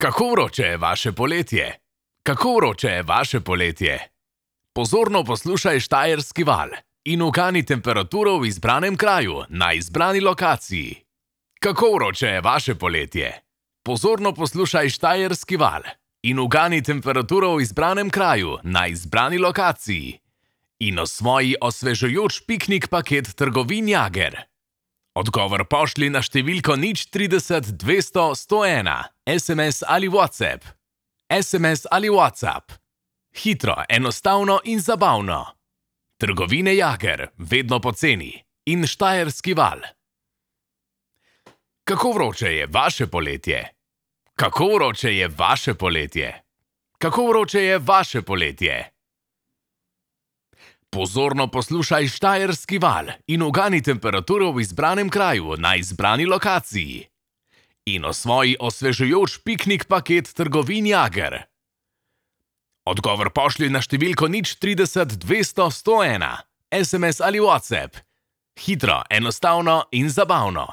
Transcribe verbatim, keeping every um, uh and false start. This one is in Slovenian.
Kako vroče je vaše poletje? Kako vroče je vaše poletje? Pozorno poslušaj Štajerski val in ugani temperaturo v izbranem kraju na izbrani lokaciji. Kako vroče je vaše poletje? Pozorno poslušaj Štajerski val in ugani temperaturo v izbranem kraju na izbrani lokaciji. In osvoji osvežujoč piknik paket trgovin Jager. Odgovor pošlji na številko nič trideset dvesto sto ena, es em es ali WhatsApp. es em es ali WhatsApp. Hitro, enostavno in zabavno. Trgovine Jager, vedno poceni. In Štajerski val. Kako vroče je vaše poletje? Kako vroče je vaše poletje? Kako vroče je vaše poletje? Pozorno poslušaj Štajerski val in ugani temperaturo v izbranem kraju na izbrani lokaciji. In osvoji osvežujoč piknik paket trgovin Jager. Odgovor pošlji na številko nič trideset dvesto sto ena, es em es ali WhatsApp. Hitro, enostavno in zabavno.